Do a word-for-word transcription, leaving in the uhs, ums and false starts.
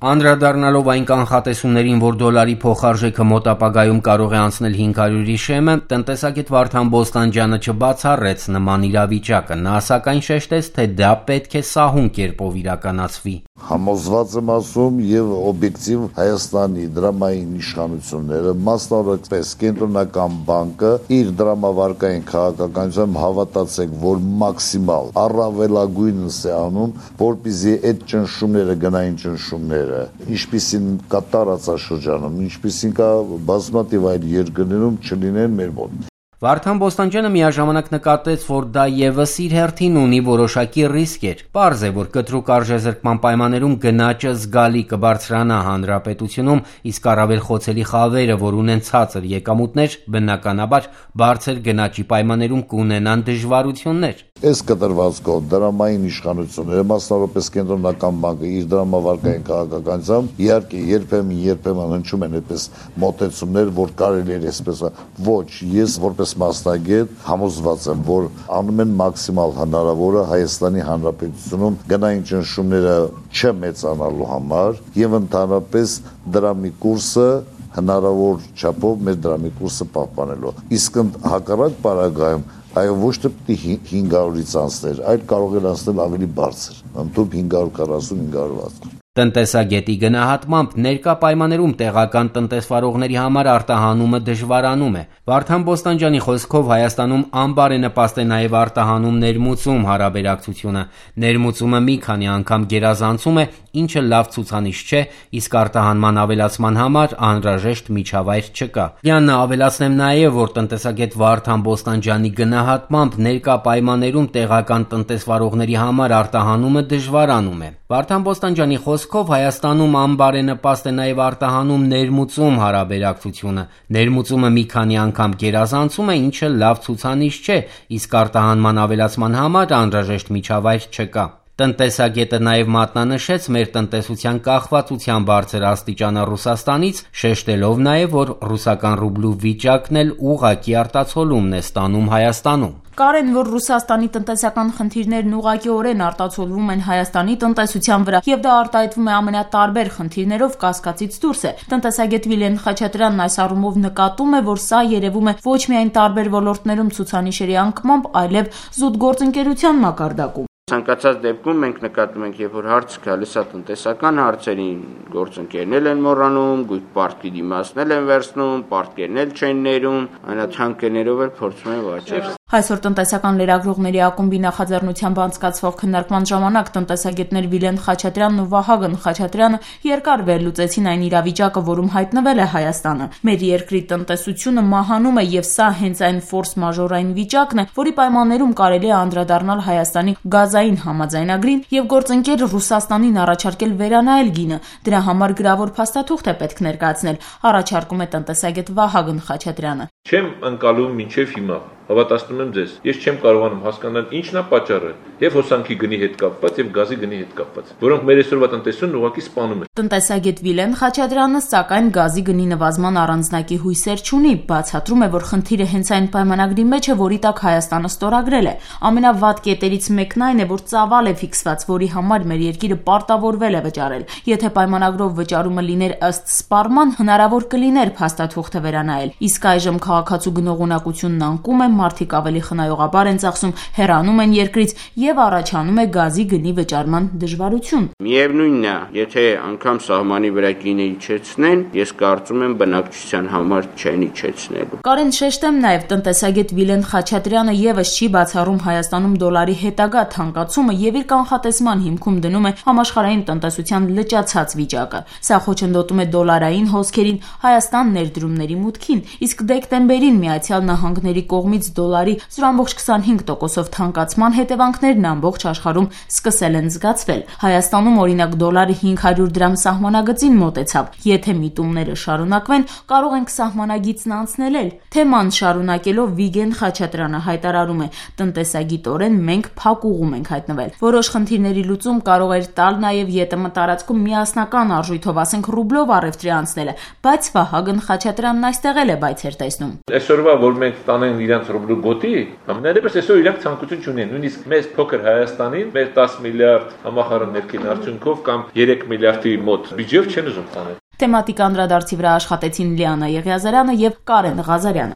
Անդրադառնալով այն կանխատեսումներին, որ դոլարի փոխարժեքը մոտ ապագայում կարող է անցնել հինգ հարյուրի շեմը, տնտեսագետ Վարդան Բոստանջյանը չբացառեց նման իրավիճակը, նա սակայն շեշտեց, թե դա պետք է սահուն կերպով իրականացվի։ Համոզված եմ ասում եւ օբյեկտիվ Հայաստանի դրամային իշխանությունները, մասնավորապես Կենտրոնական բանկը, իր դրամավարկային քաղաքականությամբ հավատացեք, որ մաքսիմալ առավելագույնս է անում, որպեսզի այդ ճնշումները, գնային ճնշումները, ինչպիսին կա տարածաշրջանում, ինչպիսին կա բազմաթիվ այլ երկրներում չլինեն մեր մոտ։ Վարդան Բոստանջյանը միաժամանակ նկատեց, որ դա ևս իր հերթին ունի որոշակի ռիսկեր։ Պարզ է, որ կտրուկ արժեզրկման պայմաններում գնաճը զգալի կբարձրանա հանրապետությունում, իսկ առավել խոցելի խավերը, որ ունեն ցածր եկամուտներ, բնականաբար բարձր գնաճի պայմաններում կունենան դժվարություններ։ Այս կտրվածքով դրամային իշխանությունները, մասնավորապես Կենտրոնական բանկը իր դրամավարկային քաղաքականությամբ, իհարկե երբեմն երբեմն հնչում են այդպես մոտեցումներ, որ կարելի է այսպես ոչ, ես որպես մասնագետ համոզված եմ, որ անում են մաքսիմալ հնարավորը Հայաստանի Հանրապետությունում գնային ճնշումները չմեծանալու համար եւ ընդհանրապես դրամի կուրսը հնարավոր չափով մեր դրամի կուրսը պահպանելու։ Իսկ հակառակ պարագայում այո ոչ թե հինգ հարյուրից անցներ, այլ կարող է անցնել ավելի բարձր, ընդհանուր հինգ հարյուր քառասուն հինգ հարյուր վաթսուն։ Տնտեսագետի գնահատմամբ ներկա պայմաններում տեղական տնտեսվարողների համար արտահանումը դժվարանում է։ Վարդան Բոստանջյանի խոսքով Հայաստանում անբարենպաստ է նաև արտահանում ներմուծում հարաբերակցությունը։ Ներմուծումը մի քանի անգամ գերազանցում է, ինչը լավ ցուցանիշ չէ, իսկ արտահանման ավելացման համար անհրաժեշտ միջավայր չկա։ Յաննա ավելացնեմ նաև, որ տնտեսագետ Վարդան Բոստանջյանի գնահատմամբ ներկա պայմաններում տեղական տնտեսվարողների համար արտահանումը դժվարանում է։ Վարդան Բոստանջյանի խոսքով Հայաստանում անբարենպաստ է նաև արտահանում ներմուծում հարաբերակցությունը։ Ներմուծումը մի քանի անգամ գերազանցում է, ինչը լավ ցուցանիշ չէ, իսկ արտահանման ավելացման համար անհրաժեշտ միջավայր չկա։ Տնտեսագետը նաև մատնանշեց մեր տնտեսության կախվածության բարձր աստիճանը Ռուսաստանից, շեշտելով նաև, որ ռուսական ռուբլու վիճակն էլ ուղղակի արտացոլումն է ստանում Հայաստանում։ Կարեն, որ Ռուսաստանի տնտեսական խնդիրներն ուղղակիորեն արտացոլվում են Հայաստանի տնտեսության վրա, եւ դա արտահայտվում է ամենատարբեր խնդիրներով կասկածից դուրս է։ Տնտեսագետ Վիլեն Խաչատրյանն այս առումով նկատում է, որ սա երևում է ոչ միայն տարբեր ոլորտներում ցուցանիշերի անկմամբ, այլև զուտ գործընկերության մակարդակում։ Ցանկացած դեպքում մենք նկատում ենք, երբ որ հարց գալիս է տնտեսական հարցերին, գործընկերներ են մոռանում, գույք պարտքի դիմացնել են վերցնում, պարտքերն էլ չեն ներում, այնաթանկերներով էլ փորձում են վաճառել։ Այսօր տնտեսական լրագրողների ակումբի նախաձեռնությամբ անցկացվող քննարկման ժամանակ տնտեսագետներ Վիլեն Խաչատրյանն ու Վահագն Խաչատրյանը երկար վերլուծեցին այն իրավիճակը, որում հայտնվել է Հայաստանը։ Մեր երկրի տնտեսությունը մահանում է եւ սա հենց այն ֆորս մաժորային վիճակն է, որի պայմաններում կարելի է անդրադառնալ Հայաստանի գազային համաձայնագրին եւ գործընկեր Ռուսաստանին առաջարկել վերանայել գինը։ Դրա համար գրավոր փաստաթուղթ է պետք ներկայացնել, առաջարկում է տնտեսագետ Վահագն Խաչատրյանը։ Չեմ ընկալում մինչև հիմա, հավատացնում եմ ձեզ, ես չեմ կարողանում հասկանալ ինչն է պատճառը եւ հոսանքի գնի հետ կապված եւ գազի գնի հետ կապված, որոնք մեր այսօրվա տնտեսությունն ուղղակի սպանում են։ Տնտեսագետ Վիլեն Խաչատրյանը սակայն գազի գնի նվազման առանձնակի հույսեր չունի, բացատրում է, որ խնդիրը հենց այն պայմանագրի մեջ է, որի տակ Հայաստանը ստորագրել է։ Ամենավատ կետերից մեկն այն է, որ ծավալ է ֆիքսված, որի համար մեր երկիրը պարտավորվել է վճարել։ Եթե պայմանագրով վճարումը լիներ ըստ սպառման, հնարավոր կլիներ փաստաթուղթը վերանայել։ Իսկ այժմ քաղաքացու գնողունակությունն անկում է, մարդիկ ավելի խնայողաբար են ծախսում, հեռանում են երկրից եւ առաջանում է գազի գնի վճարման դժվարություն։ Միևնույնն է, եթե անգամ սահմանի վրա գինը իջեցնեն, ես կարծում եմ բնակչության համար չեն իջեցնելու։ Կարեն շեշտեմ նաեւ տնտեսագետ Վիլեն Խաչատրյանը եւս չի բացառում Հայաստանում դոլարի հետագա թանկացումը եւ իր կանխատեսման հիմքում դնում է համաշխարհային տնտեսության լճացած վիճակը։ Սա խոչընդոտում է դոլարային հոսքերին, Հայաստան ներդրումների մուտքին, իսկ դեկտեմբերին Միացյալ Նահանգների կողմից դոլարի զրո կόμma քսանհինգ տոկոսով թանկացման հետևանքներն ամբողջ աշխարհում սկսել են զգացվել։ Հայաստանում օրինակ դոլարը հինգ հարյուր դրամ սահմանագծին մոտեցավ։ Եթե միտումները շարունակվեն, կարող ենք սահմանագիծն անցնել էլ։ Թեման շարունակելով Վիգեն Խաչատրյանը հայտարարում է. տնտեսագիտորեն մենք փակուղում ենք հայտնվել։ Որոշ խնդիրների լուծում կարող էր տալ նաև ԵՏՄ տարածքում միասնական արժույթով, ասենք ռուբլով առևտրի անցնելը, բայց Վահագն Խաչատրյանն այստեղ էլ է բայցեր տեսնում։ Այսօրվա որ մենք տանեն իրենց ռուբլու գոտի, ամենայնիվս այսօր իրանք ցանկություն չունեն, նույնիսկ մեզ փոքր Հայաստանին մեր տասը միլիարդ համախառն ներքին արդյունքով կամ երեք միլիարդի մոտ բյուջեով չեն ուզում տանել։ Թեմատիկ անդրադարձի վրա աշխատեցին Լիանա Եղիազարյանը եւ Կարեն Ղազարյանը։